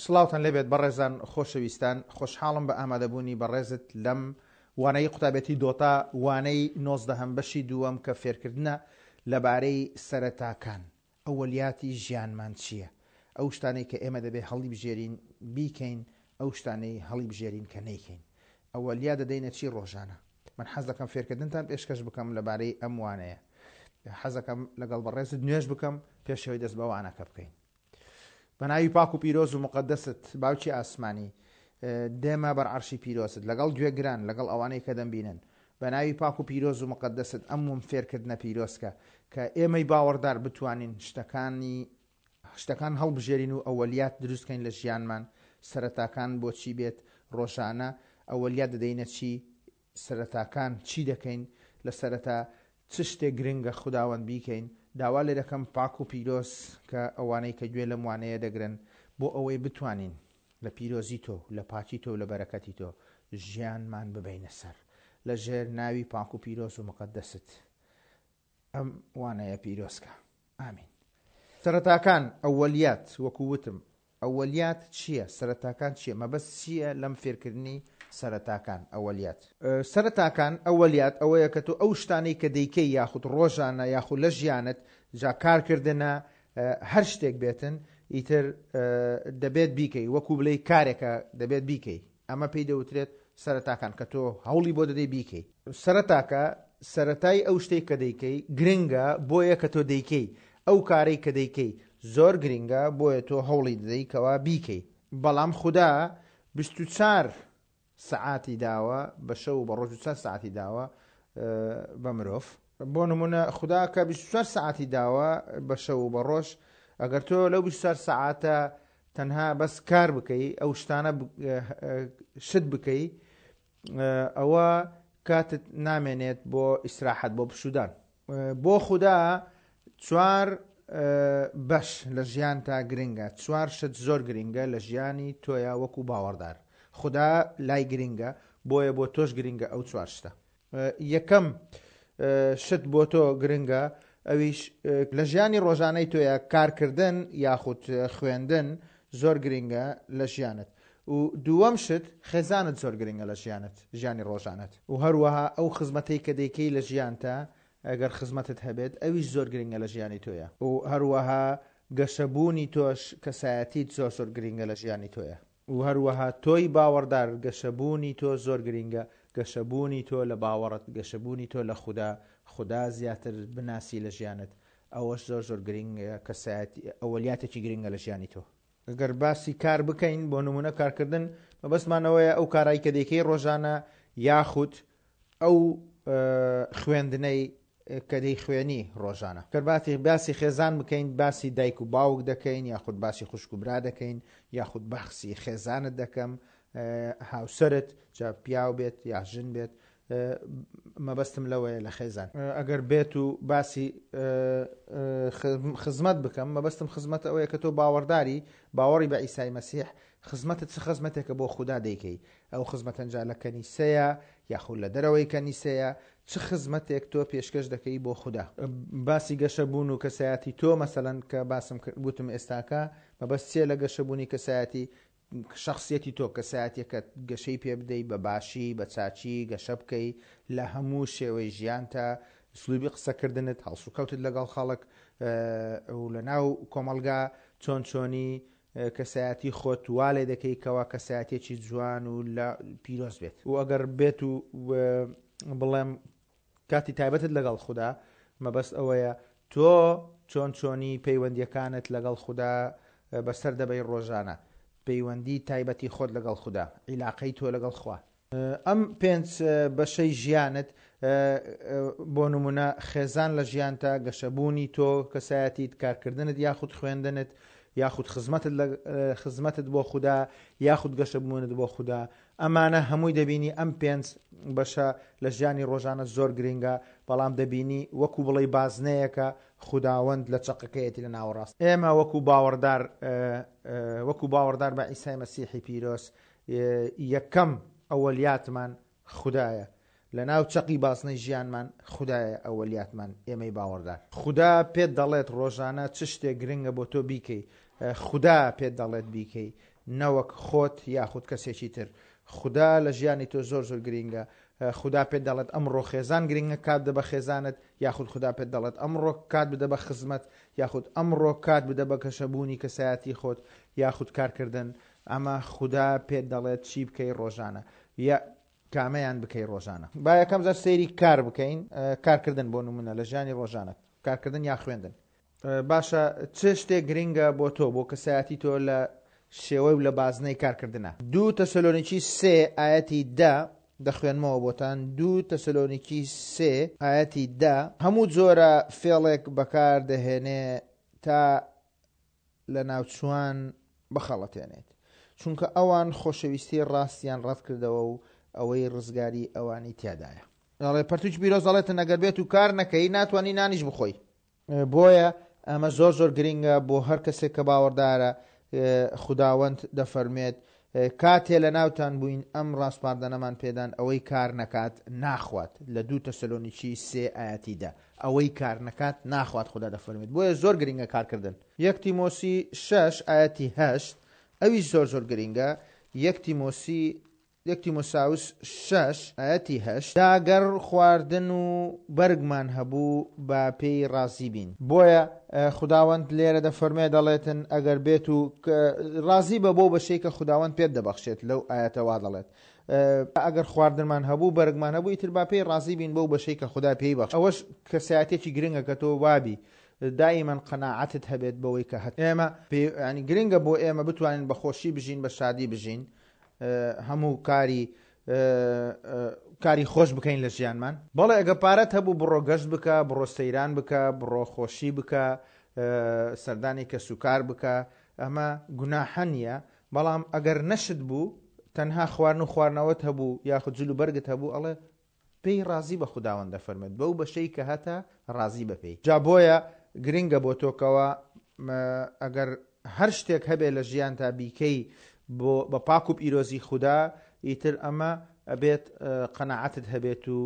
سڵاوتان لێبێت بەڕێزان خۆشەویستان خۆشحاڵم بە ئامادەبوونی بەڕێزت لەم وانەی قوتابێتی دۆتا وانەی نۆزدەهەم بەشی دووەم کە فێرکردنە لەبارەی سەرەتاکان ئەوەلیاتی ژیانمان چییە ئەو شتانەی کە ئێمە دەبێ هەڵیبژێرین بیکەین ئەو شتانەی هەڵیبژێرین کە نەیکەین ئەوەلیا دەدەینە چی ڕۆژانە من حەز دەکەم فێرکردنتان پێشکەش بکەم لەبارەی ئەم وانەیە حەزەکەم لەگەڵ بەڕێزت نوێژ بکەم پێشەوەی دەست بە وانەکە بکەین بە ناوی پاک و پیرۆز و مقدست باوکی ئاسمانی دێمە بەر عەرشی پیرۆزت لەگەڵ گوێگران لەگەڵ ئەوانەی کە دەمبینن بە ناوی پاک و پیرۆز و مقدست ئەم وم فێرکردنە پیرۆزکە کە ئێمەی باوەڕدار بتوانین شتەکانی شتەکان هەڵبژێرین و ئەوەلیات دروستکەین لە ژیانمان سەرەتاکان بۆچی بێت ڕۆژانە ئەوەلیات دەدەینە چی سەرەتاکان چی دەکەین لە سەرەتا چ شتێک گرنگە خوداوەند بیکەین داوا لێ دەکەم پاک و پیرۆز کە ئەوانەی کە گوێ لەم وانەیە دەگرن بۆ ئەوەی بتوانین لە پیرۆزی تۆ لە پاکی تۆ لە بەرەکەتی تۆ ژیانمان ببەینە سەر لە ژێر ناوی پاک و پیرۆز و مقەدەست ئەم وانەیە پیرۆز کە. ئامین. سەرەتاکان، ئەوەلیات، وەکو وتم ئەوەلیات چییە؟ سەرەتاکان چییە؟ مەبەست چییە لەم فێرکردنی سەرەتاکان، ئەوەلیات؟ سەرەتاکان، ئەوەلیات، ئەوەیە کە تۆ ئەو شتانەی کە دەیکەی یاخود ڕۆژانە یاخود لە ژیانت، جا کارکردنە، هەر شتێک بێتن، ئیتر دەبێت بیکەی، وەکو بڵێی کارێکە دەبێت بیکەی. ئەمە پێی دەوترێت سەرەتاکان کە تۆ هەوڵی بۆ دەدەی بیکەی. سەرەتاکە، سەرەتای ئەو شتەی کە دەیکەی گرنگە بۆیە کە تۆ دەیکەی، ئەو کارەی کە دەیکەی زۆر گرنگە بۆیە تۆ هەوڵی دەدەی کەوا بیکەی. بەڵام خودا 24 سەعاتی داوە بە شەو و بە ڕۆژ 24 سەعاتی داوە بە مرۆڤ. بۆ نمونە خودا کە 24 سەعاتی داوە بە شەو و بە ڕۆژ ئەگەر تۆ لەو 24 سەعاتە تەنها بەس کار بکەی ئەو شتانە شت بکەی ئەوە کاتت نامێنێت بۆ ئیسراحەت بۆ پشودان بۆ خودا چوار بەش لە ژیان تا گرنگە چوار شت زۆر گرنگە لە ژیانی تۆیا وەکو باوەڕدار خودا لای گرنگە بۆیە بۆ تۆش گرنگە ئەو چوار شتە یەکەم شت بۆ تۆ گرنگە ئەویش لە ژیانی ڕۆژانەی تۆیە کارکردن یاخود خوێندن زۆر گرنگە لە ژیانت و دووەم شت خێزانت زۆر گرنگە لە ژیانت ژیانی ڕۆژانت و هەروەها ئەو خزمەتەی کە دەیکەی لە ژیانتە ئەگەر خزمەتت هەبێت ئەویش زۆر گرنگە لە ژیانی تۆیە و هەروەها گەشەبوونی تۆش کەسایەتیت زۆر زۆر گرنگە لە ژیانی تۆیە. و هەروەها تۆی باوەڕدار گەشەبوونی تۆ زۆر گرینگە، گەشەبوونی تۆ لە باوەڕت، گەشەبوونی تۆ لە خودا، خودا زیاتر بناسی لە ژیانت، ئەوەش زۆر زۆر گرینگە، کەسایەتی ئەوەلیاتێکی گرینگە لە ژیانی تۆ. گەر باسی کار بکەین، بۆ نموونە کارکردن، مەبەستمان ئەوەیە ئەو کارای کە دەیکەی ڕۆژانە یاخود ئەو خوێندنەی کە دەیخوێنی ڕۆژانە. گەر باتی باسی خێزان بکەین باسی دایک و باوک دەکەین یاخود باسی خوشک و برا دەکەین یاخود باخسی خێزانت دەکەم هاوسەرت جا پیاو بێت یا ژن بێت مەبەستم لەوەیە لە خێزان ئەگەر بێت و باسی خزمەت بکەم مەبەستم خزمەت ئەوەیە کە تۆ باوەڕداری باوەڕی بە ئیسای مەسیح خزمەتت چ خزمەتێکە بۆ خودا دەیکەی ئەو خزمەتەن جا لە کەنیسەیە یاخود لە دەرەوەی کەنیسەیە چ خزمەتێک تۆ پێشکەش دەکەی بۆ خودا؟ باسی گەشەبوون و کەسایەتی تۆ مەسەلەن کە باسم کرد وتم ئێستاکە مەبەست چیە لە گەشەبوونی کەسایەتی شەخسیەتی تۆ کەسایەتیەکەت گەشەی پێ بدەی بە باشی بە چاکی گەشە بکەی لە هەموو شێوەی ژیانتا ئسلوبی قسەکردنت هەڵسوکەوتت لەگەڵ خەڵک و لە ناو کۆمەڵگا چۆن چۆنی کەسایەتی خۆت وا لێ دەکەی کەوا کەسایەتیەکی جوان و لە پیرۆز بێت و ئەگەر بێت و بڵێم کاتی تایبەتت لەگەڵ خودا مەبەست ئەوەیە تۆ چۆن چۆنی پەیوەندیەکانت لەگەڵ خودا بەسەر دەبەی ڕۆژانە پەیوەندی تایبەتی خۆت لەگەڵ خودا عیلاقەی تۆ لەگەڵ خوا ئەم پێنچ بەشەی ژیانت بۆ نمونە خێزان لە ژیانتا، گەشەبوونی تۆ، کەسایەتیت، کارکردنت یاخود خوێندنت، یاخود خزمەتت لە خزمەتت بۆ خودا، یاخود گەشەبوونت بۆ خودا، ئەمانە هەمووی دەبینی ئەم پێنج بەشە لە ژیانی ڕۆژانە زۆر گرنگە، بەڵام دەبینی وەکو بڵێی بازنەیەکە خوداوەند لە چەقەکەیەتی لە ناوەڕاست. ئێمە وەکو باوەڕدار وەکو باوەڕدار بە عیسای مەسیحی پیرۆز یەکەم ئەوەلیاتمان خودایە لەناو چەقی بازنەی ژیانمان خودایە ئەوەلیاتمان ئێمەی باوەڕدار. خودا پێت دەڵێت ڕۆژانە چ شتێک گرنگە بۆ تۆ بیکەی خودا پێت دەڵێت بیکەی. نەوەک خۆت یاخود کەسێکی تر. خودا لە ژیانی تۆ زۆر زۆر گرینگە. خودا پێت دەڵێت ئەمڕۆ خێزان گرینگە کات بدە بە خێزانت، یاخود خودا پێت دەڵێت ئەمڕۆ کات بدە بە خزمەت، یاخود ئەمڕۆ کات بدە بە گەشەبوونی کەسایەتی خۆت، یاخود کارکردن. ئەمە خودا پێت دەڵێت چی بکەی ڕۆژانە. یا کامەیان بکەی ڕۆژانە. با یەکەم جار سەیری کار بکەین، کارکردن بۆ نمونە لە ژیانی ڕۆژانەت، کارکردن یا خوێندن. باشە چ شتێک گرینگە بۆ تۆ، بۆ کەسایەتی تۆ لە شێوەی و لە بازنەی کارکردنا؟ دوو تەسەلۆنیکی سێ ئایەتی دە دەخوێنمەوە بۆتان، دوو تەسەلۆنیکی سێ ئایەتی دە، هەموو جۆرە فێڵێک بەکار دەهێنێ تا لەناوچووان بخەڵەتێنێت، چونکە ئەوان خۆشەویستی ڕاستیان ڕەتکردەوە و ئەوەی ڕزگاری ئەوانی تیادایە. دەڵێ پەرتوکی پیرۆز دەڵێتن ئەگەر بێت و کار نەکەی ناتوانی نانیش بخۆی. بۆیە ئەمە زۆر زۆر گرینگە بۆ هەر کەسێک کە باوەڕدارە، خوداوەند دەفەرموێت، کاتێ لە ناوتان بووین ئەم ڕاسپاردەنەمان پێدان ئەوەی کار نەکات ناخوات، لە دوو تەسەلۆنیکی سێ ئایەتی دە، ئەوەی کار نەکات ناخوات خودا دەفەرموێت، بۆیە زۆر گرینگە کارکردن. یەک تیمۆسی شەش ئایەتی هەشت، ئەویش زۆر زۆر گرینگە، یەک تیمۆسی یەک تیمۆساوس شەش ئایەتی هەشت، جا گەر خواردن و بەرگمان هەبوو با پێی ڕازی بین. بۆیە خوداوەند لێرە دەفەرموێ دەڵێتن ئەگەر بێت و ڕازی بە بەو بەشەی کە خوداوەند پێت دەبەخشێت لەو ئایەتە وا دەڵێت ئەگەر خواردنمان هەبوو بەرگمان هەبوو ئیتر با پێی ڕازی بین بەو بەشەی کە خودا پێی بەخش. ئەوەش کەسایەتیەکی گرنگە کە تۆ وابی دائیمەن قەناعەتت هەبێت بەوەی کە هەتە. ئێمە یانی گرنگە بۆ ئێمە بتوانین بە خۆشی بژین بە شادی بژین هەموو کاری کاری خۆش بکەین لە ژیانمان. بەڵێ ئەگە پارەت هەبوو بڕۆ گەشت بکە، بڕۆ سەیران بکە، بڕۆ خۆشی بکە، سەردانی کەسوکار بکە، ئەمە گوناحە نییە، بەڵام ئەگەر نەشت بوو تەنها خواردن و خواردنەوەت هەبوو یاخود جل و بەرگت هەبوو ئەڵێ پێی ڕازی بە خوداوەند دەفەرموێت بەو بەشەی کە هەتە ڕازی بە پێی. جا بۆیە گرنگە بۆ تۆ کەوا ئەگەر هەر شتێک هەبێ لە ژیانتا بیکەی بۆ بە پاک و پیرۆزی خودا ئیتر ئەمە ئەبێت قەناعەتت هەبێت و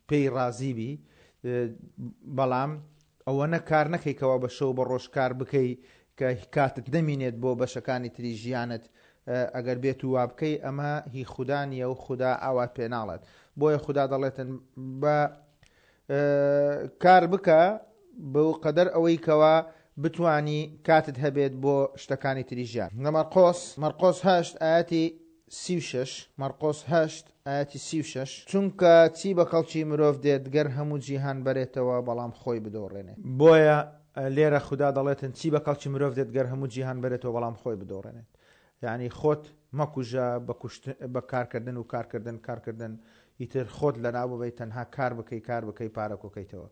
پێی ڕازی بی بەڵام ئەوەنە کار نەکەی کەوا بە شەو بە ڕۆژ کار بکەی کە کاتت نەمینێت بۆ بەشەکانی تری ژیانت ئەگەر بێت و وابکەی ئەمە هی خودا نییە و خودا ئاوات پێ ناڵێت بۆیە خودا دەڵێتن بە کار بکە بەو قەدەر ئەوەی کەوا بتانی کاتت هەبێت بۆ شتەکانی تری ژیان لە مەرقۆس مەرقۆس هەشت ئاەتی 36 مەرقۆس هەشت ئایەتی 36 چونکە چی بە کەڵکی مرۆڤ دێت گەر هەموو جیهان بەرێتەوە بەڵام خۆی بدۆڕێنێت؟ بۆیە لێرە خودا دەڵێتن چی بە کەڵکی مرۆڤ دێت گەر هەموو جیهان بەرێتەوە بەڵام خۆی بدۆڕێنێت؟ یانی خۆت مەکوژە بە کوشتن بە کارکردن و کارکردن کارکردن ئیتر خۆت لەناو ببەی تەنها کار بکەی کار بکەی پارە کۆکەیتەوە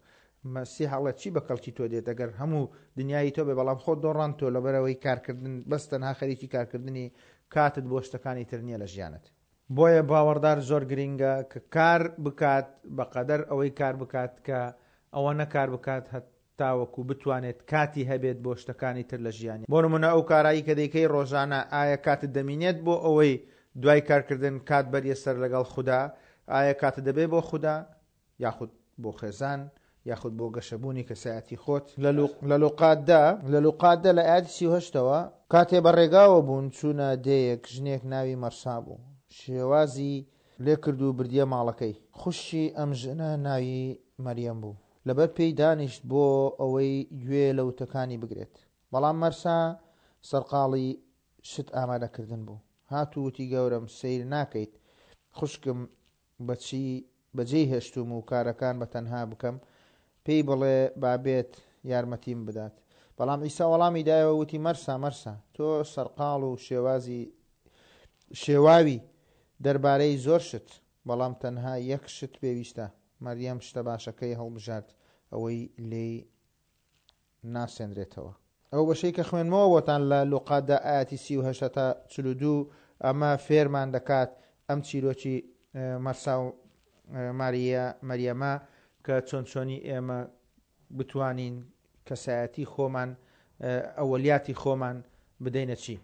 مەسیح ئەڵێت چی بە کەڵکی تۆ دێت ئەگەر هەموو دنیایی تۆ بێ بەڵام خۆت دۆڕاند تۆ لەبەرئەوەی کارکردن بەس تەنها خەریکی کارکردنی کاتت بۆ شتەکانی تر نییە لە ژیانت. بۆیە باوەڕدار زۆر گرینگە کە کار بکات بەقەدەر ئەوەی کار بکات کە ئەوەنە کار بکات هەتاوەکو بتوانێت کاتی هەبێت بۆ شتەکانی تر لە ژیانی. بۆ نمونە ئەو کارایی کە دەیکەی ڕۆژانە ئایا کاتت دەمینێت بۆ ئەوەی دوای کارکردن کات بەریە سەر لەگەڵ خودا؟ ئایا کاتت دەبێت بۆ خودا؟ یاخود بۆ خێزان یاخود بۆ گەشەبوونی کەسایەتی خۆت. لە لوقا دە لە لوقا دە لە ئایەتی 38 ەوە، کاتێ بە ڕێگاوە بوون چوونە دێیەک، ژنێک ناوی مەرسا بوو، شێوازی لێ کرد و بردیە ماڵەکەی. خوشکی ئەم ژنە ناوی مەریەم بوو، لەبەر پێی دانیشت بۆ ئەوەی گوێ لە وتەکانی بگرێت. بەڵام مەرسا سەرقاڵی شت ئامادەکردن بوو. هات و وتی، گەورەم، سەیر ناکەیت خوشکم بەچی بەجێی هێشتووم و کارەکان بە تەنها بکەم؟ پێی بڵێ با بێت یارمەتیم بدات. بەڵام عیسا وەڵامی دایەوە وتی، مەرسا، مەرسا، تۆ سەرقاڵ و شێوازی شێواوی دەربارەی زۆر شت، بەڵام تەنها یەک شت پێویستە. مەریەم شتە باشەکەی هەڵبژارد، ئەوەی لێی ناسێنرێتەوە. ئەو بەشەی کە خوێندمەوە بۆتان لە لوقا دە ئایەتی 38 هەتا 42 ئەمە فێرمان دەکات ئەم چیرۆکی مەرسا و ماریە مەریەمە کە چۆن چۆنی ئێمە بتوانین کەسایەتی خۆمان ئەوەلیاتی خۆمان بدەینە چی.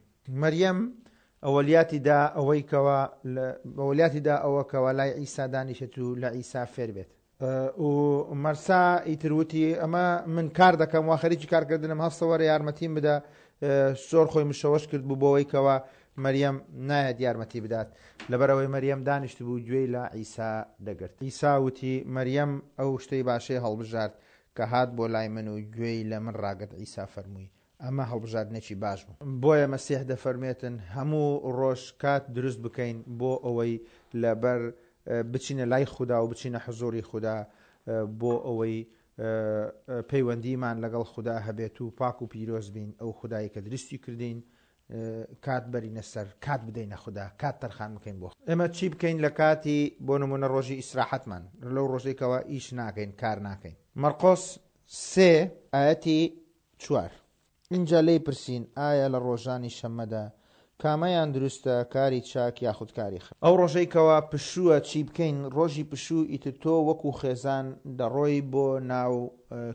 مەریەم ئەوەلیاتی دا ئەوەی کەوا ئەوەلیاتی دا ئەوە کەوا لای عیسا دانیشێت و لە عیسا فێر بێت. و مەرسا ئیتر وتی، ئەمە من کار دەکەم، وا خەریکی کارکردنم، هەستە وەرە یارمەتیم بدە. زۆر خۆی مشەوەش کرد بوو بۆوەی کەوا مەریەم نایەت یارمەتی بدات لەبەرئەوەی مەریەم دانیشتبوو گوێی لە عیسا دەگرت. عیسا وتی، مەریەم ئەو شتەی باشەی هەڵبژارد کە هات بۆ لای من و گوێی لە من ڕاگرت عیسا فەرمووی، ئەمە هەڵبژاردنێکی باش بوو. بۆیە مەسیح دەفەرموێتن هەموو ڕۆژ کات دروست بکەین بۆ ئەوەی لەبەر بچینە لای خودا و بچینە حزوڕی خودا بۆ ئەوەی پەیوەندیمان لەگەڵ خودا هەبێت و پاک و پیرۆز بین ئەو خودای کە دروستی کردین کات بەرینە سەر کات بدەینە خودا کات تەرخان بکەین بۆ ئێمە چی بکەین لە کاتی بۆ نمونە ڕۆژی ئیسراحەتمان لەو ڕۆژێکەوە ئیش ناکەین کار ناکەین مەرقۆس سێ ئاەتی چوار. ئینجا لێی پرسین، ئایا لە ڕۆژانی شەممەدا کامەیان دروستە، کاری چاک یاخود کاری خراپ؟ ئەو ڕۆژەی کەوا پشووە چی بکەین؟ ڕۆژی پشوو ئیتر تۆ وەکو خێزان دەڕۆی بۆ ناو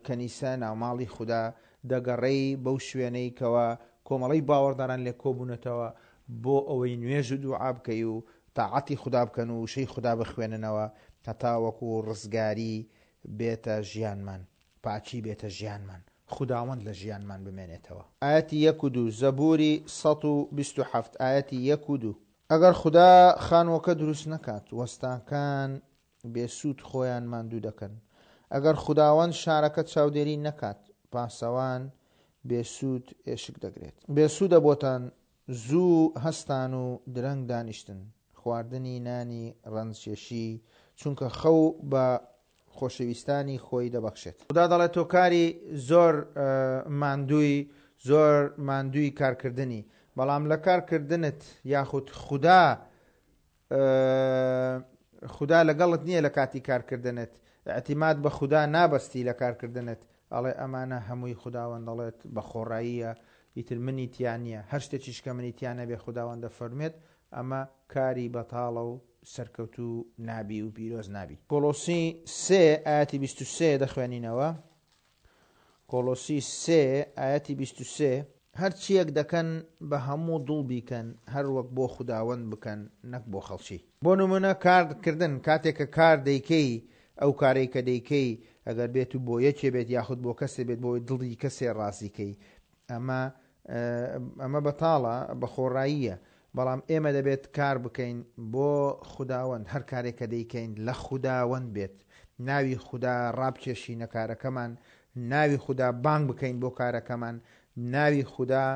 کەنیسە، ناو ماڵی خودا، دەگەڕێی بەو شوێنەی کەوا کۆمەڵەی باوەڕداران لێ کۆبوونەتەوە بۆ ئەوەی نوێژ و دوعا بکەی و تاعەتی خودا بکەن و وشەی خودا بخوێننەوە هەتاوەکو ڕزگاری بێتە ژیانمان. پاکی بێتە ژیانمان، خوداوەند لە ژیانمان بمێنێتەوە. ئایەتی یەک و دوو، زەبووری 127 ئایەتی یەک و دوو. ئەگەر خودا خانووەکە دروست نەکات، وەستاکان بێ سوود خۆیان ماندوو دەکەن. ئەگەر خوداوەند شارەکە چاودێری نەکات، پاسەوان بێ سوود ئێشک دەگرێت. بێ سوودە بۆتان زوو هەستان و درەنگ دانیشتن، خواردنی نانی ڕەنجکێشی، چونکە خەو بە خۆشەویستانی خۆی دەبەخشێت. خودا دەڵێت تۆ کاری زۆر ماندووی زۆر ماندووی کارکردنی بەڵام لە کارکردنت یاخود خودا خودا لەگەڵت نییە لە کاتی کارکردنت اعتماد بە خودا نابەستی لە کارکردنت ئەڵێ ئەمانە هەمووی خوداوەند دەڵێت بە خۆڕاییە ئیتر منی تیا نییە هەر شتێکیش کە منی تیا نەبێ خوداوەند دەفەرموێت ئەمە کاری بەتاڵە و سەرکەوتوو نابی و پیرۆز نابی. کۆڵۆسی سێ ئایەتی 23 دەخوێنینەوە. کۆڵۆسی سێ ئایەتی 23. هەرچییەک دەکەن بە هەموو دڵ بیکەن، هەر وەک بۆ خوداوەند بکەن نەک بۆ خەڵکی. بۆ نموونە کار کردن، کاتێک کە کار دەیکەی، ئەو کارەی کە دەیکەی ئەگەر بێت و بۆ یەکێ بێت یاخود بۆ کەسێ بێت بۆی دڵی کەسێ ڕازی کەی، ئەمە ئەمە بەتاڵە، بەخۆڕاییە، بەڵام ئێمە دەبێت کار بکەین بۆ خوداوەند، هەر کارێک کە دەیکەین لە خوداوەند بێت، ناوی خودا ڕابکێشینە کارەکەمان، ناوی خودا بانگ بکەین بۆ کارەکەمان، ناوی خودا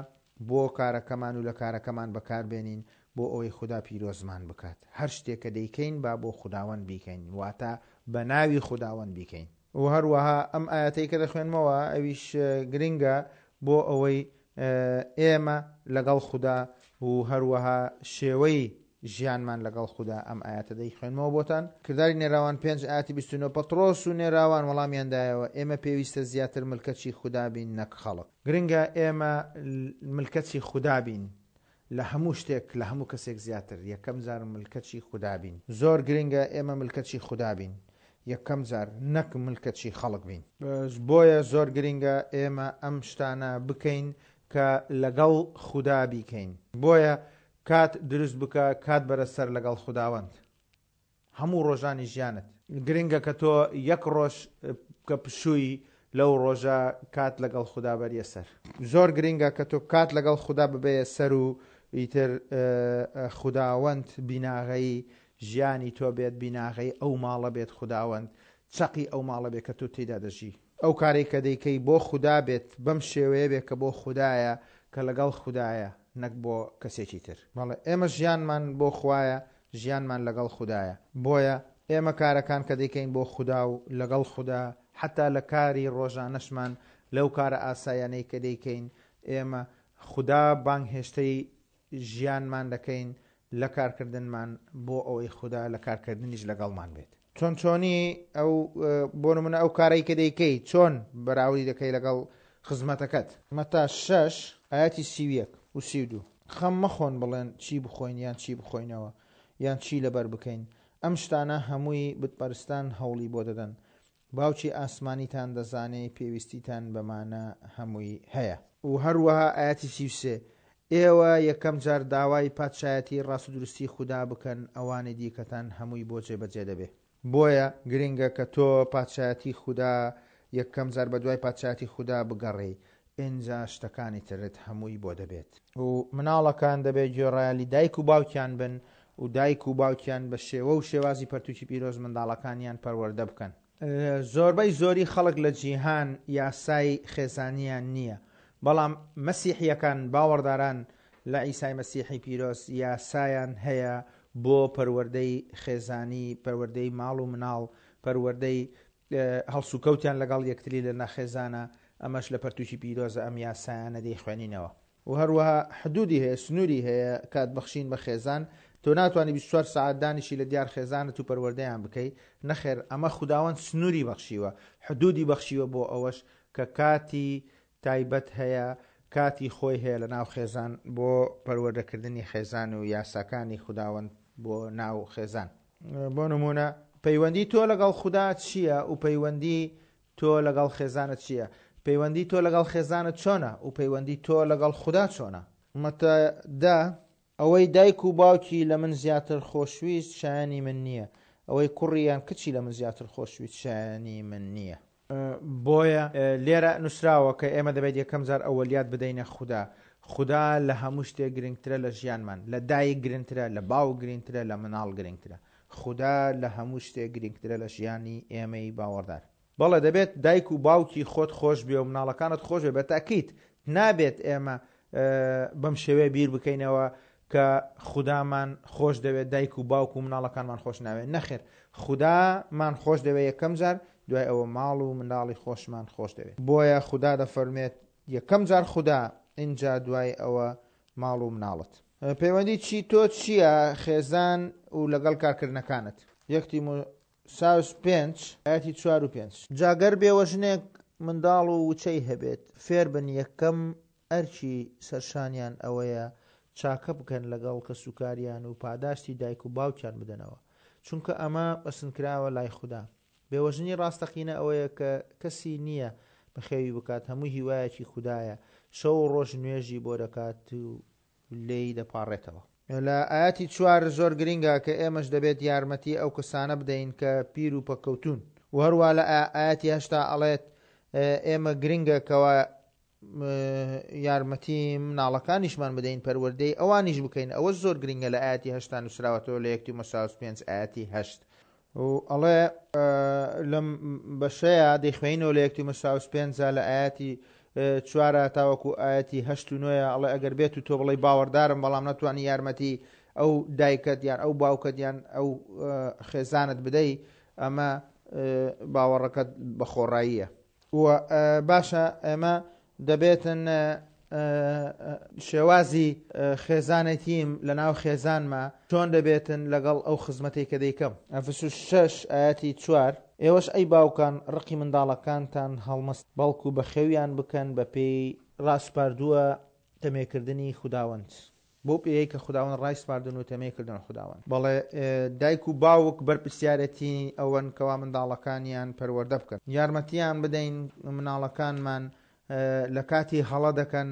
بۆ کارەکەمان و لە کارەکەمان بەکاربێنین بۆ ئەوەی خودا پیرۆزمان بکات. هەر شتێک کە دەیکەین با بۆ خوداوەند بیکەین، واتە بە ناوی خوداوەند بیکەین. و هەروەها ئەم ئایەتەی کە دەخوێنمەوە ئەویش گرنگە بۆ ئەوەی ئێمە لەگەڵ خودا و هەروەها شێوەی ژیانمان لەگەڵ خودا ئەم ئایەتە دەیخوێنمەوە بۆتان. کرداری نێراوان پێنج ئایەتی 29 پەتڕۆس و نێراوان وەڵامیان دایەوە ئێمە پێویستە زیاتر ملکەچی خودا بین نەک خەڵک. گرنگە ئێمە ملکەچی خودا بین لە هەموو شتێک لە هەموو کەسێک زیاتر یەکەم جار ملکەچی خودا بین. زۆر گرنگە ئێمە ملکەچی خودا بین یەکەم جار نەک ملکەچی خەڵک بین. بۆیە زۆر گرنگە ئێمە ئەم شتانە بکەین کە لەگەڵ خودا بیکەین. بۆیە کات دروست بکە کات بەرە سەر لەگەڵ خوداوەند. هەموو ڕۆژانی ژیانت. گرنگە کە تۆ یەک ڕۆژ کە پشووی لەو ڕۆژە کات لەگەڵ خودا بەریە سەر. زۆر گرنگە کە تۆ کات لەگەڵ خودا ببەیە سەر و ئیتر خوداوەند بیناغەی ژیانی تۆ بێت بیناغەی ئەو ماڵە بێت خوداوەند چەقی ئەو ماڵە بێت کە تۆ تێیدا دەژی. ئەو کارەی کە دەیکەی بۆ خودا بێت بەم شێوەیە بێت کە بۆ خودایە کە لەگەڵ خودایە نەک بۆ کەسێکی تر. بەڵێ ئێمە ژیانمان بۆ خوایە ژیانمان لەگەڵ خودایە بۆیە ئێمە کارەکان کە دەیکەین بۆ خودا و لەگەڵ خودا حەتا لە کاری ڕۆژانەشمان لەو کارە ئاسایانەی کە دەیکەین ئێمە خودا بانگهێشتەی ژیانمان دەکەین لە کارکردنمان بۆ ئەوەی خودا لە کارکردنیش لەگەڵمان بێت. چۆن چۆنی ئەو بۆ نمونە ئەو کارەی کە دەیکەی چۆن بەراوردی دەکەی لەگەڵ خزمەتەکەت؟ مەتا شەش ئایەتی 31 و 32 خەم مەخۆن بڵێن چی بخۆین یان چی بخۆینەوە یان چی لەبەر بکەین، ئەم شتانە هەمووی بتپەرستان هەوڵی بۆ دەدەن، باوکی ئاسمانیتان دەزانێ پێویستیتان بەمانە هەمووی هەیە. و هەروەها ئایەتی 33، ئێوە یەکەم جار داوای پادشایەتی ڕاستودروستی خودا بکەن ئەوانی دیکەتان هەمووی بۆ جێبەجێ دەبێ. بۆیە گرنگە کە تۆ پادشایەتی خودا یەکەم جار بەدوای پادشایەتی خودا بگەڕێی. ئینجا شتەکانی ترت هەمووی بۆ دەبێت. و مناڵەکان دەبێت گوێڕایەلی دایک و باوکیان بن و دایک و باوکیان بە شێوە و شێوازی پەرتوکی پیرۆز منداڵەکانیان پەروەردە بکەن. زۆربەی زۆری خەڵک لە جیهان یاسای خێزانیان نییە، بەڵام مەسیحییەکان، باوەڕداران لە عیسای مەسیحی پیرۆز، یاسایان هەیە بۆ پەروەردەی خێزانی، پەروەردەی ماڵ و مناڵ، پەروەردەی هەڵسوکەوتیان لەگەڵ یەکتری لە ناخێزانە، ئەمەش لە پەرتوکی پیرۆزە ئەم یاسایانە دەیخوێنینەوە. و هەروەها حدودی هەیە، سنوری هەیە کات بەخشین بە خێزان، تۆ ناتوانی 24 سەعات دانیشی لە دیار خێزانت و پەروەردەیان بکەی، نەخێر ئەمە خوداوەند سنوری بەخشیوە، حدودی بەخشیوە بۆ ئەوەش کە کاتی تایبەت هەیە، کاتی خۆی هەیە لە ناو خێزان بۆ پەروەردەکردنی خێزان و یاساکانی خوداوەند بۆ ناو خێزان. بۆ نموونە پەیوەندی تۆ لەگەڵ خودا چییە و پەیوەندی تۆ لەگەڵ خێزانت چییە؟ پەیوەندی تۆ لەگەڵ خێزانت چۆنە و پەیوەندی تۆ لەگەڵ خودا چۆنە؟ مەتا دە، ئەوەی دایک و باوکی لە من زیاتر خۆشویست شایەنی من نییە، ئەوەی کوڕی یان کچی لە من زیاتر خۆشویست شایەنی من نییە. بۆیە لێرە نووسراوە کە ئێمە دەبێت یەکەم جار ئەوەلیات بدەینە خودا. خودا لە هەموو شتێک گرنگترە لە ژیانمان، لە دایک گرنترە، لە باوک گرنگترە، لە مناڵ گرنگترە. خودا لە هەموو شتێک گرنگترە لە ژیانی ئێمەی باوەڕدار. بەڵێ دەبێت دایک و باوکی خۆت خۆش بوێ و مناڵەکانت خۆش بوێ، بە تەئکید نابێت ئێمە بەم شێوەیە بیر بکەینەوە کە خودامان خۆش دەوێت دایک و باوک و مناڵەکانمان خۆش ناوێت، نەخێر خودامان خۆش دەوێت یەکەم جار، دوای ئەوە ماڵ و منداڵی خۆشمان خۆش دەوێت. بۆیە خودا دەفەرموێت یەکەم جار خودا ئینجا دوای ئەوە ماڵ و مناڵت. پەیوەندی چی تۆ چییە خێزان و لەگەڵ کارکردنەکانت؟ یەک تیمۆساوس پێنج ئایەتی چوار و پێنج. جا گەر بێوەژنێک منداڵ و وچەی هەبێت، فێربن یەکەم ئەرکی سەرشانیان ئەوەیە چاکە بکەن لەگەڵ کەسوکاریان و پاداشتی دایک و باوکیان بدەنەوە، چونکە ئەمە پەسندکراوە لای خودا. بێوەژنی ڕاستەقینە ئەوەیە کە کەسی نییە بەخێوی بکات، هەموو هیوایەکی خودایە، شەو و ڕۆژ نوێژی بۆ دەکات و لێی دەپاڕێتەوە. لە ئایەتی چوار زۆر گرینگە کە ئێمەش دەبێت یارمەتی ئەو کەسانە بدەین کە پیر و پەککەوتوون و هەروا لە ئایەتی هەشتا ئەڵێت ئێمە گرینگە کەوا یارمەتی مناڵەکانیشمان بدەین پەروەردەی ئەوانیش بکەین ئەوە زۆر گرنگە لە ئاەتی هەشتا نووسراوەتەوە لە یەکتی مەساوس پێنج ئاەتی هەشت و ئەڵێ لەم بەشەیە دەیخوێنەوە لە یەکتی مەساوس پێنجا لە ئاەتی چوارە تاوەکو ئاەتی هەشت و نۆیە ئەڵێ ئەگەر بێت و تۆ بڵێ باوەڕدارم بەڵام نەتوانی یارمەتی ئەو دایکت یان ئەو باوکت یان ئەو خێزانت بدەی ئەمە باوەڕەکەت بەخۆڕاییە و باشە ئێمە دەبێتن شێوازی خێزانێتیم لە ناو خێزانما چۆن دەبێتن لەگەڵ ئەو خزمەتەی کە دەیکەم. ئەفسوس شەش ئایەتی چوار، ئێوەش ئەی باوکان ڕقی منداڵەکانتان هەڵمەستن، بەڵکو بەخێویان بکەن بەپێی ڕاسپاردووە تەمێکردنی خوداوەند. بەو پێیەی کە خوداوەند ڕایسپاردوون و تەمێی کردوون خوداوەند. بەڵێ دایک و باوک بەرپرسیارێتی ئەوەن کەوا منداڵەکانیان پەروەردە بکەن. یارمەتیان بدەین مناڵەکانمان لە کاتی هەڵە دەکەن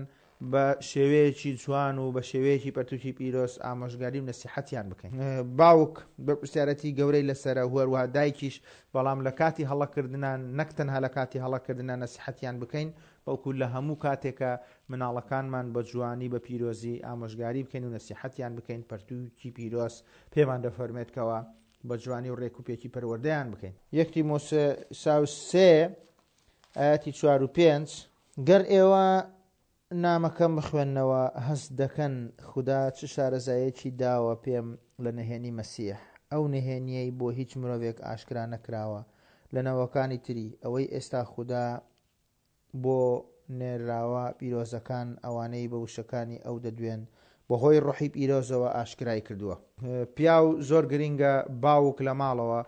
بە شێوەیەکی جوان و بە شێوەیەکی پەرتوکی پیرۆز ئامۆژگاری و نەسیحەتیان بکەین. باوک بەرپرسیارەتی گەورەی لەسەرە و هەروەها دایکیش، بەڵام لە کاتی هەڵەکردنان نەک تەنها لە کاتی هەڵەکردنا نەسیحەتیان بکەین بەڵکو لە هەموو کاتێکا مناڵەکانمان بە جوانی بە پیرۆزی ئامۆژگاری بکەین و نەسیحەتیان بکەین، پەرتووکی پیرۆز پێمان دەفەرموێت کەوا بە جوانی و ڕێک و پێکی پەروەردەیان بکەین. یەک تیمۆساوس سێ ئایەتی چوار و پێنج، گەر ئێوە نامەکەم بخوێننەوە هەست دەکەن خودا چ شارەزاییەکی داوە پێم لە نهێنی مەسیح، ئەو نهێنییەی بۆ هیچ مرۆڤێک ئاشکرا نەکراوە لە نەوەکانی تری، ئەوەی ئێستا خودا بۆ نێرراوە پیرۆزەکان ئەوانەی بە وشەکانی ئەو دەدوێن بەهۆی ڕۆحی پیرۆزەوە ئاشکرای کردووە. پیاو زۆر گرینگە باوک لە ماڵەوە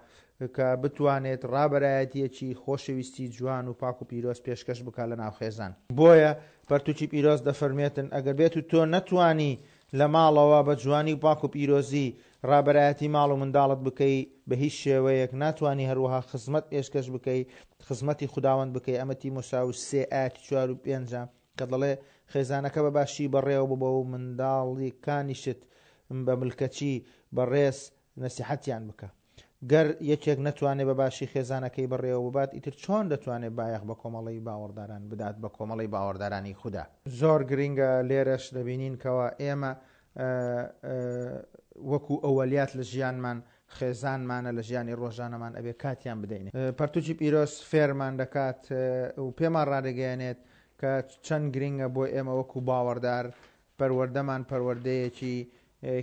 کە بتوانێت ڕابەرایەتیەکی خۆشەویستی جوان و پاک و پیرۆز پێشکەش بکات لە ناو خێزان. بۆیە پەرتوکی پیرۆز دەفەرموێتن ئەگەر بێت و تۆ نەتوانی لە ماڵەوە بە جوانی و پاک و پیرۆزی ڕابەرایەتی ماڵ و منداڵت بکەی بە هیچ شێوەیەک ناتوانی هەروەها خزمەت پێشکەش بکەی خزمەتی خوداوەند بکەی ئەمە تیمۆساوس سێ ئایەتی چوار و پێنجە کە دەڵێ خێزانەکە بە باشی بەڕێوە ببە و منداڵیکانیشت بە ملکەچی بە ڕێز نەسیحەتیان بکە. گەر یەکێک نەتوانێت بە باشی خێزانەکەی بەڕێوە ببات، ئیتر چۆن دەتوانێت بایەخ بە کۆمەڵەی باوەڕداران بدات، بە کۆمەڵەی باوەڕدارانی خودا؟ زۆر گرینگە لێرەش دەبینین کەوا ئێمە وەکو ئەوەلیات لە ژیانمان خێزانمانە لە ژیانی ڕۆژانەمان ئەبێ کاتیان بدەین. پەرتوکی پیرۆز فێرمان دەکات و پێمان ڕادەگەیەنێت کە چەند گرینگە بۆ ئێمە وەکو باوەڕدار پەروەردەمان پەروەردەیەکی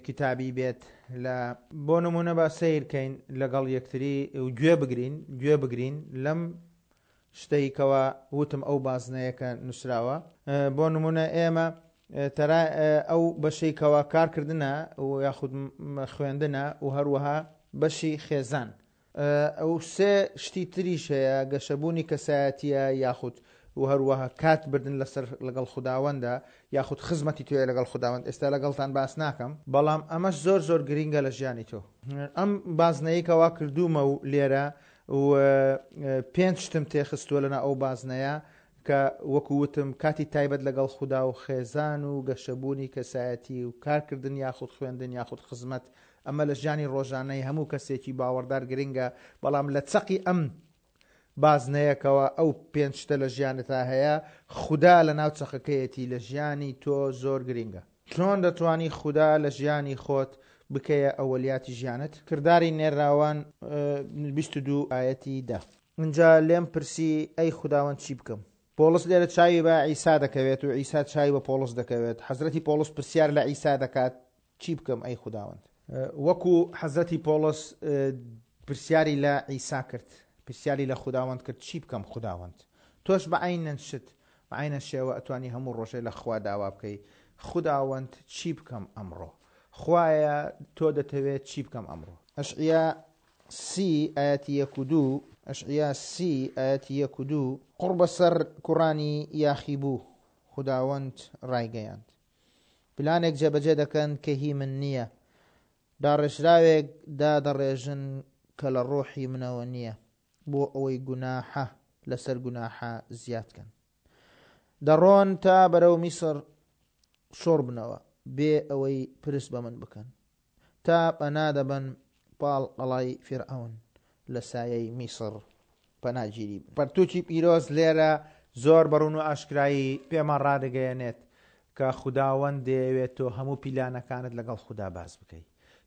کیتابی بێت لە بۆ نمونە با سەیر کەین لەگەڵ یەکتری و گوێ بگرین گوێ بگرین لەم شتەی کەوا وتم ئەو بازنەیە کە نووسراوە بۆ نمونە ئێمە تەرا ئەو بەشەی کەوا کارکردنە و یاخود خوێندنە و هەروەها بەشی خێزان ئەو سێ شتی تریش هەیە، گەشەبوونی کەسایەتییە یاخود و هەروەها کات بردن لەسەر لەگەڵ خوداوەندە یاخود خزمەتی تۆیە لەگەڵ خوداوەند ئێستا لەگەڵتان باس ناکەم بەڵام ئەمەش زۆر زۆر گرینگە لە ژیانی تۆ. ئەم بازنەی کەوا کردوومە و لێرە و پێنج شتم تێخستووە لەناو ئەو بازنەیە کە وەکو وتم کاتی تایبەت لەگەڵ خودا و خێزان و گەشەبوونی کەسایەتی و کارکردن یاخود خوێندن یاخود خزمەت ئەمە لە ژیانی ڕۆژانەی هەموو کەسێکی باوەڕدار گرنگە، بەڵام لە چەقی ئەم بازنەیەکەوە ئەو پێنج شتە لە ژیانتا هەیە، خودا لە ناو چەقەکەیەتی لە ژیانی تۆ زۆر گرنگە. چۆن دەتوانی خودا لە ژیانی خۆت بکەیە ئەوەلیاتی ژیانت؟ کرداری نێرراوان 22 ئایەتی دە. ئینجا لێم پرسی، ئەی خوداوەند چی بکەم؟ پۆڵس لێرە چاوی بە عیسا دەکەوێت و عیسا چاوی بە پۆڵس دەکەوێت. حەزرەتی پۆڵس پرسیار لە عیسا دەکات، چی بکەم ئەی خوداوەند؟ وەکو حەزرەتی پۆڵس پرسیاری لە عیسا کرد، پرسیاری لە خوداوەند کرد، چی بکەم خوداوەند؟ تۆش بە عەینەن شت، بە عەینەن شێوە ئەتوانی هەموو ڕۆژێ لە خوا داوا بکەی، خوداوەند چی بکەم ئەمڕۆ؟ خوایە تۆ دەتەوێت چی بکەم ئەمڕۆ؟ ئەشعیا سی ئایەتی یەک و دوو، ئەشعیا سی ئایەتی یەک و دوو. قوڕ بەسەر کوڕانی یاخیبوو، خوداوەند ڕایگەیاند. پلانێک جێبەجێ دەکەن کە هی من نییە، داڕێژراوێک دادەڕێژن کە لە ڕۆحی منەوە نییە، بۆ ئەوەی گوناحە لەسەر گوناحە زیاد کەن. دەڕۆن تا بەرەو میسر شۆڕبنەوە، بێ ئەوەی پرس بە من بکەن. تا پەنا دەبەن پاڵ قەڵای فیرعەون لە سایەی میسڕ پەناگیری بن. پەرتووکی پیرۆز لێرە زۆر بە ڕوون و ئاشکرایی پێمان ڕادەگەیەنێت کە خوداوەند دەیەوێت تۆ هەموو پیلانەکانت لەگەڵ خودا باس بکەی.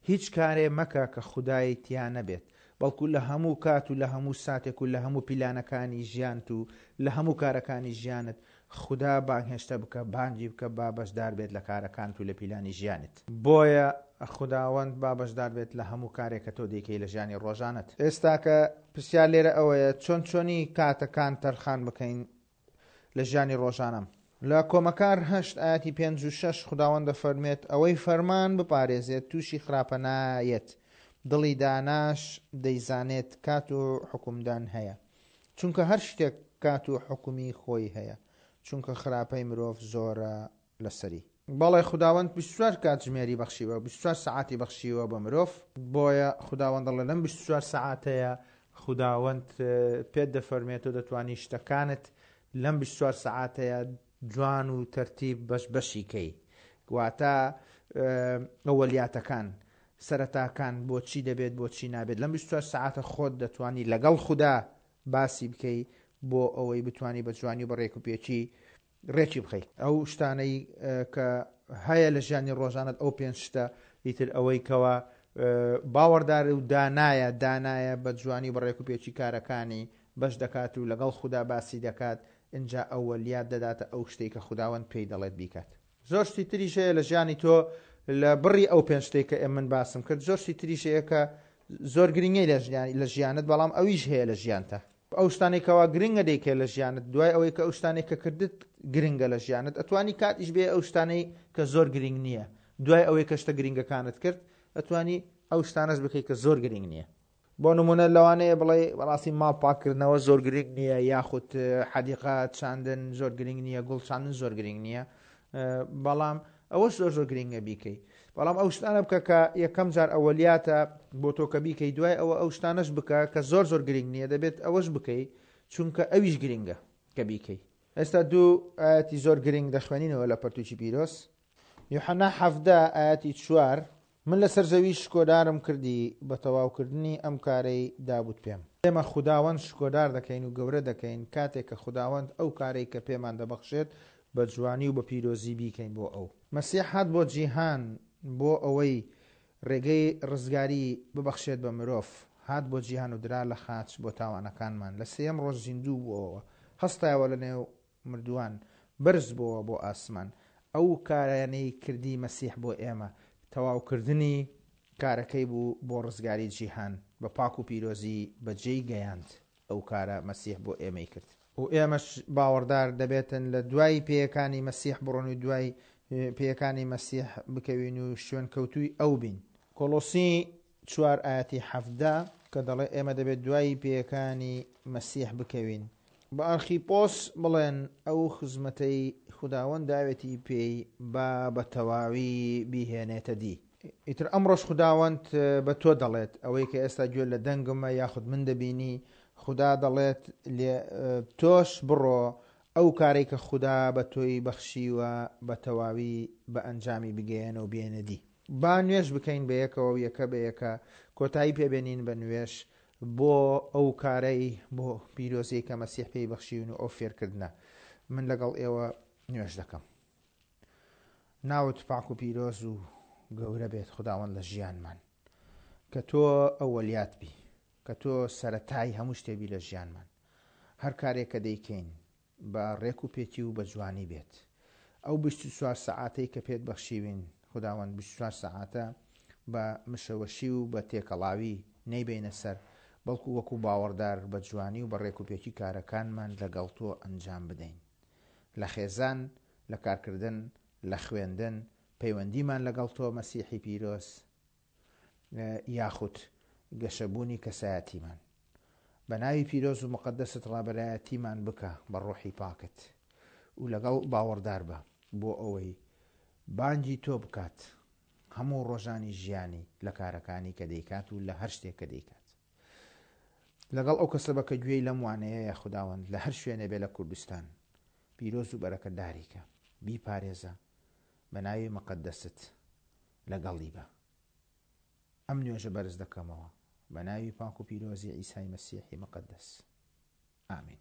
هیچ کارێ مەکە کە خودای تیا نەبێت، بەڵکو لە هەموو کات و لە هەموو ساتێک و لە هەموو پیلانەکانی ژیانت و لە هەموو کارەکانی ژیانت خودا بانگهێشتە بکە، بانگی بکە با بەشدار بێت لە کارەکانت و لە پیلانی ژیانت. بۆیە خوداوەند با بەشدار بێت لە هەموو کارێک کە تۆ دەیکەی لە ژیانی ڕۆژانەت. ئێستاکە پرسیار لێرە ئەوەیە چۆن چۆنی کاتەکان تەرخان بکەین لە ژیانی ڕۆژانەم؟ لە کۆمەکار هەشت ئایەتی پێنج و شەش خوداوەند دەفەرموێت، ئەوەی فەرمان بپارێزێت تووشی خراپە نایەت، دڵی داناش دەیزانێت کات و حوکمدان هەیە. چونکە هەر شتێک کات و حوکمی خۆی هەیە، چونکە خراپەی مرۆڤ زۆرە لەسەری. بەڵێ خوداوەند 24 کاتژمێری بەخشیوە، 24 سەعاتی بەخشیوە بە مرۆڤ، بۆیە خوداوەند دەڵێ لەم 24 سەعاتەیە خوداوەند پێت دەفەرمێت تۆ دەتوانی شتەکانت لەم 24 سەعاتەیە جوان و تەرتیب بەش بەشی کەی واتە ئەوەلیاتەکان سەرەتاکان بۆچی دەبێت بۆچی نابێت لەم 24 سەعاتە خۆت دەتوانی لەگەڵ خودا باسی بکەی بۆ ئەوەی بتانی بە جوانی و بە ڕێک و پێکی ڕێکی بخەیت ئەو شتانەی کە هەیە لە ژیانی ڕۆژانت ئەو پێنج شتە ئیتر ئەوەی کەوا باوەڕدار و دانایە دانایە بە جوانی و بە ڕێک و پێکی کارەکانی بەش دەکات و لەگەڵ خودا باسی دەکات ئینجا ئەوەلیات دەداتە ئەو شتەی کە خوداوەند پێی دەڵێت بیکات. زۆر شتی تریش هەیە لە ژیانی تۆ لە بڕی ئەو پێنج شتەی کە من باسم کرد زۆر شتی تریش هەیە کە زۆر گرنگی لە ژیانت بەڵام ئەویش هەیە لە ژیانتە ئەو شتانەی کەوا گرنگە دەیکەی لە ژیانت دوای ئەوەی کە ئەو شتانەی کە کردت گرنگە لە ژیانت ئەتوانی کاتیش بێ ئەو شتانەی کە زۆر گرنگ نییە دوای ئەوەی کە شتە گرنگەکانت کرد ئەتوانی ئەو شتانەش بکەیت کە زۆر گرنگ نییە بۆ نمونە لەوانەیە بڵێ بەڕاستی ماڵ پاککردنەوە زۆر گرنگ نییە یاخود حەدیقە چاندن زۆر گرنگ نییە گوڵ چاندن زۆر گرنگ نییە بەڵام ئەوەش زۆر زۆر گرنگە بیکەی بەڵام ئەو شتانە بکە کە یەکەم جار ئەوەلیاتە بۆ تۆ کە بیکەی دوای ئەوە ئەو شتانەش بکە کە زۆر زۆر گرنگ نییە دەبێت ئەوەش بکەی چونکە ئەویش گرنگە کە بیکەی ئێستا دوو ئاەتی زۆر گرنگ دەخوێنینەوە لە پەرتوکی پیرۆز یوحنا حەفدە ئاەتی چوار. من لەسەر زەوی شکۆدارم کردی بە تەواوکردنی ئەم کارەی دابووت پێم. ئێمە خوداوەند شکۆدار دەکەین و گەورە دەکەین کاتێک کە خوداوەند ئەو کارەی کە پێمان دەبەخشێت بە جوانی و بە پیرۆزی بیکەین بۆ ئەو. مەسیح هات بۆ جیهان بۆ ئەوەی ڕێگەی ڕزگاری ببەخشێت بە مرۆڤ، هات بۆ جیهان و درا لە خاچ بۆ تاوانەکانمان، لە سێیەم ڕۆژ زیندوو بووەوە، هەستایەوە لە نێو مردووان، بەرز بۆوە بۆ ئاسمان. ئەو کارانەی کردی مەسیح بۆ ئێمە، تەواوکردنی کارەکەی بوو بۆ ڕزگاری جیهان، بە پاک و پیرۆزی بەجێی گەیاند. ئەو کارە مەسیح بۆ ئێمەی کرد. و ئێمەش باوەڕدار دەبێتن لە دوای پێیەکانی مەسیح بڕۆن و دوای پێیەکانی مەسیح بکەوین و شوێنکەوتووی ئەو بین. کۆڵۆسی چوار ئایەتی 17 کە دەڵێ ئێمە دەبێت دوای پێیەکانی مەسیح بکەوین. بە ئەرخیپۆس بڵێن ئەو خزمەتەی خوداوەند داوێتی پێی با بە تەواوی بیهێنێتە دی. ئیتر ئەمڕۆش خوداوەند بە تۆ دەڵێت، ئەوەی کە ئێستا گوێ لە دەنگمە یاخود من دەبینی، خودا دەڵێت لێ تۆش بڕۆ ئەو کارەی کە خودا بە تۆی بەخشیوە بە تەواوی بە ئەنجامی بگەیەنە و بێنە دی. با نوێژ بکەین بە یەکەوە و یەکە بە یەکە کۆتایی پێ بێنین بە نوێژ بۆ ئەو کارەی بۆ پیرۆزیەی کە مەسیح پێی بەخشیون و ئەو فێرکردنە. من لەگەڵ ئێوە نوێژ دەکەم. ناوت پاک و پیرۆز و گەورە بێت خوداوەند لە ژیانمان. کە تۆ ئەوەلیات بی. کە تۆ سەرەتای هەموو شتێ بی لە ژیانمان. هەر کارێک کە دەیکەین بە ڕێک و پێکی و بە جوانی بێت. ئەو 24 سەعاتەی کە پێت بەخشیوین خوداوەند 24 سەعاتە بە مشەوەشی و بە تێکەڵاوی نەیبەینە سەر، بەڵکو وەکو باوەڕدار بە جوانی و بە ڕێک و پێکی کارەکانمان لەگەڵ تۆ ئەنجام بدەین. لە خێزان، لە کارکردن، لە خوێندن، پەیوەندیمان لەگەڵ تۆ مەسیحی پیرۆز، یاخود گەشەبوونی کەسایەتیمان. بە ناوی پیرۆز و موقەدەست ڕابەرایەتیمان بکە بە ڕۆحی پاکت و لەگەڵ باوەڕدار بە بۆ ئەوەی بانگی تۆ بکات هەموو ڕۆژانی ژیانی لە کارەکانی کە دەیکات و لە هەر شتێک کە دەیکات. لەگەڵ ئەو کەسە بە کە گوێی لەم وانەیەیە خوداوەند لە هەر شوێنێ بێ لە کوردستان پیرۆز و بەرەکەتداری کە بیپارێزە بە ناوی مقەدەست لەگەڵی بە ئەم نوێژە بەرز دەکەمەوە بە ناوی پاک و پیرۆزی عیسای مەسیحی مقەدەس ئامین.